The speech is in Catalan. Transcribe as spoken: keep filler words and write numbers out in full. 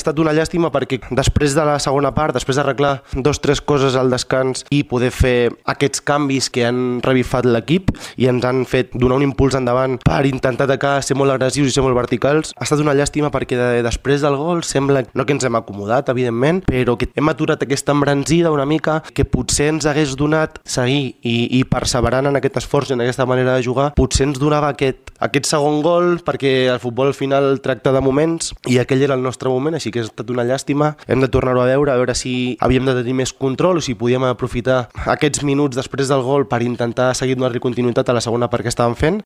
estat una llàstima perquè després de la segona part, després d'arreglar dos o tres coses al descans i poder fer aquests canvis que han revifat l'equip i ens han fet donar un impuls endavant per intentar atacar, ser molt agressius i ser molt verticals, ha estat una llàstima perquè de, després del gol sembla, no que ens hem acomodat, evidentment, però que hem aturat aquesta embranzida una mica que potser ens hagués donat seguir i, i perseverant en aquest esforç i en aquesta manera de jugar, potser ens donava aquest, aquest segon gol perquè el futbol al final tracta de moments i aquell era el nostre moment, així que ha estat una llàstima. Hem de tornar-ho a veure, a veure si havíem de tenir més control o si podíem aprofitar aquests minuts després del gol per intentar seguir donar-li continuïtat a la segona part que estàvem fent.